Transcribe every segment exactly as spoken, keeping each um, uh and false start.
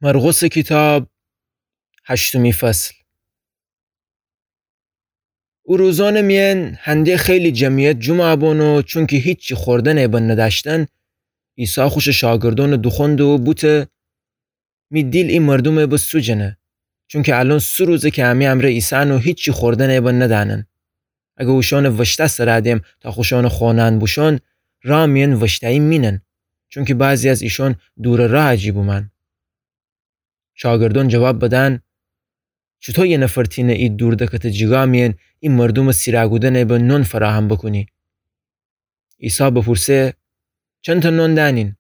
مرقسٚ کیتاب، هشتمی فصل. او روزأنٚ میأن هنده خیلی جمعیت جومع بون و چونکی هیچی خوردنٚ به ندأشتن، عیسی خوشٚ شاگردأنٚ دوخوأنده و بوته: می دیل ای مردومٚ به سوجنه، چونکی الأن سه روزه کی امی امرأ ایسأن و هیچی خوردنٚ به ندأنن. اگر اوشأنٚ وشتأ سرا دم تا خوشأنٚ خونه‌یأن بوشون، راه میأن وشتأیی مینن، چونکی بعضی از ایشأن دورٚ راه جی بومأن. شاگردأن جواب بدن: چوطو یه نفر تینه ای دوردکتٚ جیگا میأن ای مردومٚ سیرا کودنٚ به نون فراهم بوکونه؟ عیسی بپورسه: چندتأ نون دأنین؟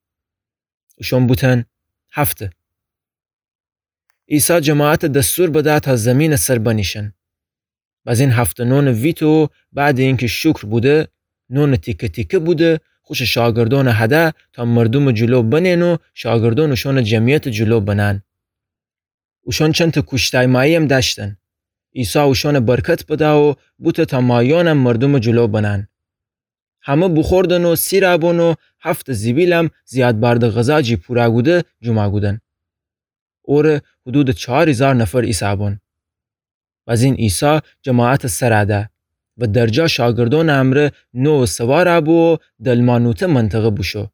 اوشأن بوتن: هفته. عیسی جماعت دستور بده تا زیمینٚ سر بنیشن. بزین هفته نونٚ ویته و بعدٚ اینکی شکر بوده، نونٚ تیکه تیکه بوده، خوشٚ شاگردأنٚ هده تا مردومٚ جلو بنهن و شاگردأن اوشأنٚ جمعیتٚ جلو بنهن. اوشأن چندتأ کوشتای مایی‌یم دأشتن. عیسی اوشأنٚ برکت بده و بوته تا ماییأنم مردومٚ جلو بنهن. همه بوخوردن و سیرا بون و هفتٚ زیبیلم زیاد بأرده غذا جی پورا کوده جومع کودن. اوره حدودٚ چار هیزار نفر ایسأ بون. بزین عیسی جماعتٚ سرا ده و درجا شاگردأنٚ امرأ نوع سوارا بو و دلمانوته منطقه بوشو.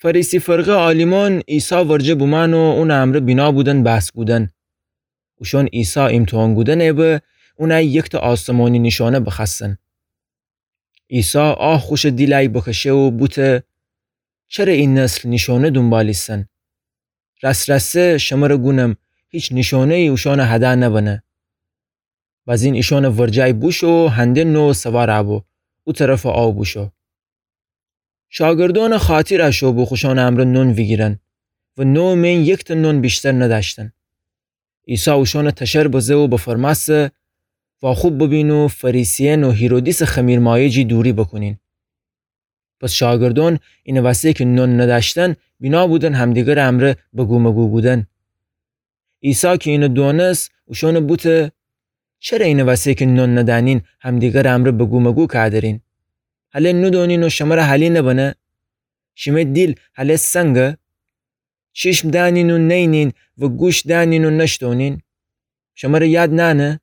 فریسی فرقه عالیمأن عیسی ورجه بومأن و اونٚ امرأ بینا بودن بحث کودن. اوشأن عیسی ایمتحان کودنٚ به اونأی یکتأ آسمانی نیشأنه بخوأستن. عیسی آه خوشٚ دیلأی بکشه و بوته: چره ای نسل نیشأنه دونبال ایسن؟ رأس رأسه شمره گونم، هیچ نیشأنه‌یی اوشأنٚ هده نبنه. بزین ایشأنٚ ورجه‌ی بوشو و هنده نوع سوارا بو، او طرفٚ آو بوشو. شاگردأنٚ خاطیر اشو بو خوشأنٚ امرأ نون ویگیرن و نوع میأن یکتأ نون ویشتر ندأشتن. عیسی اوشأنٚ تشر بزه و بفرمأسه: واخوب ببین و فریسیأن و هیرودیسٚ خمیرمایه جی دوری بوکونین. پس شاگردأن اینٚ وسه کی نون ندأشتن، بینا بودن همدیگرٚ امرأ بگومگو کودن. عیسی کی اینه دونست، اوشأنه بوته: چره اینه وسه کی نون ندأنین همدیگرٚ امرأ بگومگو کودرین؟ هله نودونین و شمره حالی نبنه؟ شیمه دیل هله سنگه؟ چشم دأنین و نینین و گوش دأنین و نشتونین؟ شمره یاد نأنه؟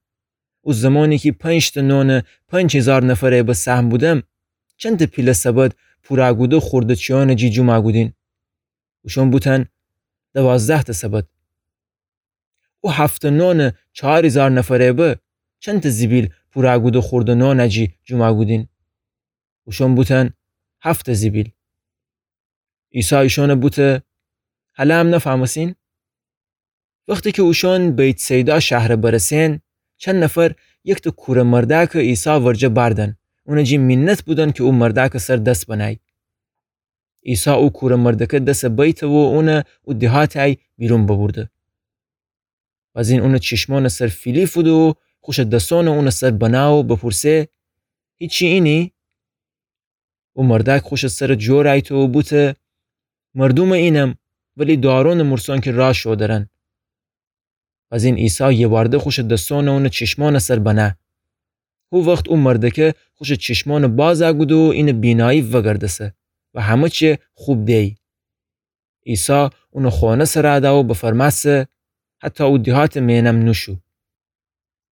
او زمانی کی پنج‌تأ نون پنج هیزار نفره به سهم بودم، چندتأ پیله سبد پورا کوده خورده چیأنٚ جی جومأ کودین؟ اوشأن بوتن: دوازده‌تأ سبد. او هفت‌تأ نون چار هیزار نفره به، چندتأ زیبیل پورا کوده خورده نونٚ جی جومأ کودین؟ اوشأن بوتن: هفت‌تأ زیبیل. عیسی ایشأنه بوته: هلأ هم نفهمستین؟ وختی کی اوشأن بیت‌صیدا شهره برسئن، چند نفر یکتأ کوره مردأکه عیسی ورجه بأردن، اونٚ جی مینت بودن کی او مردأکٚ سر دس بنأی. عیسی او کوره مردأکه دس بیته و اونه او دیهاتأی بیرون ببورده. بزین اونٚ چشمأنٚ سر فیلی فوده و خوشٚ دسأنه اونٚ سر بنه و بپورسه: هیچی اینی؟ او مردأک خوشٚ سر جور ایته و بوته: مردومٚ اینم، ولی دارونٚ مورسأن کی راه شودرن. بزین عیسی یه بارده خوشٚ دسأنه اونٚ چشمأنٚ سر بنه. هو وخت او مردأکه خوشٚ چشمأنه بازأ کوده و اینٚ بینایی وگردسه و همه چی خوب دیی. عیسی اونٚ خونه سر ده و بفرمأسه: هتأ او دیهاتٚ مئنم نوشو.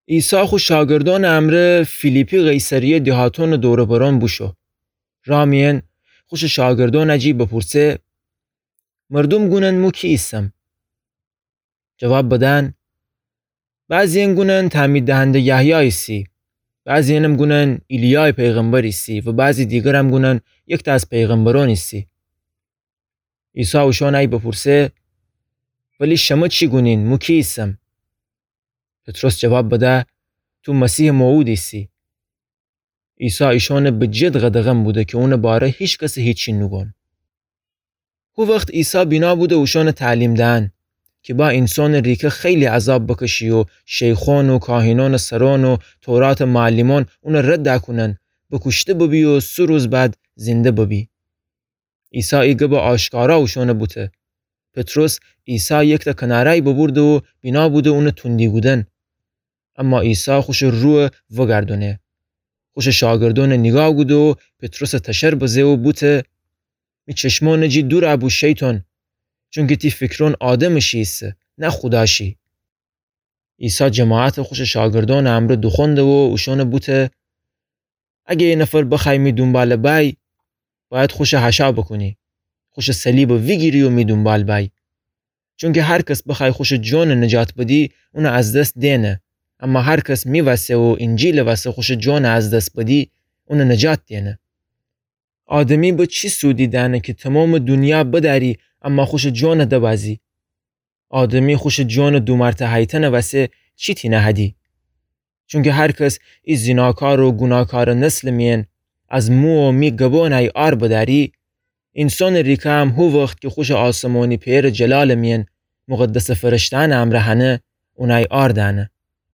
عیسی خو شاگردأنٚ امرأ فیلیپی قیصریه دیهاتأنٚ دور و برأن بوشو. راه میأن خوشٚ شاگردأنٚ جی بپورسه: مردوم گونن مو کی ایسم؟ جواب بدن: بعضی‌یأن گونن تعمید دهنده یحیی ایسی، بعضی‌یأنم گونن ایلیای پیغمبر ایسی و بعضی دیگرم گونن یکتأ از پیغمبرأن ایسی. عیسی اوشأنأی بپورسه: ولی شمه چی گونین، مو کی ایسم؟ پطرس جواب بده: تو مسیحٚ موعود ایسی. عیسی ایشأنه به جد قدغن بوده کی اونٚ باره هیکسه هیچی نوگون. هو وخت عیسی بینا بوده اوشأنه تعلیم دهن کی با اینسانٚ ریکه خیلی عذاب بکشی و شیخأن و کاهینأنٚ سرأن و توراتٚ معلمأن اونه رد دکونن، بکوشته ببی و سه روز بعد زنده ببی. عیسی ای گبه آشکارا اوشأنه بوته. پطرس عیسی یکتأ کنارأی ببورده و بینا بوده اونه توندی کودن. اما عیسی خوشٚ رویه وگردونه. خوشٚ شاگردأنه نیگاه کوده و پطرسه تشر بزه و بوته: می چشمأنٚ جی دورأ بو شیطان، چونکی تی فکرون آدمٚ شی ایسه، نه خوداشی. عیسی جماعتٚ خوشٚ شاگردونٚ امرأ دوخوأنده و اوشأنَ بوته: اگه یه نفر بخوأی می دونبالَ بأی، باید خوشَ حشا بوکونی، خوشٚ صلیبَ ویگیری و می دونبال بأی. چونکی هر کس بخوأی خوشٚ جونَ نجات بدی، اونَ از دس دئنه. اما هر کس می وسه و اینجیلٚ وسه خوشٚ جونَ از دس بدی، اونَ نجات دئنه. آدمی به چی سودی دأنه کی تومامٚ دونیا بدأری، اما خوشٚ جونَ دبأزی؟ آدمی خوشٚ جونٚ دومرتهیتنٚ وسه چی تینه هدی؟ چونکی هر کس ای زیناکار و گوناکارٚ نسلٚ میأن از مو و می گبونأی عار بدأری، اینسانٚ ریکه هم هو وخت کی خوشٚ آسمونی پئرٚ جلالٚ میأن مقدسٚ فرشته‌یأنٚ امرأ هنه، اونأی عار دأنه.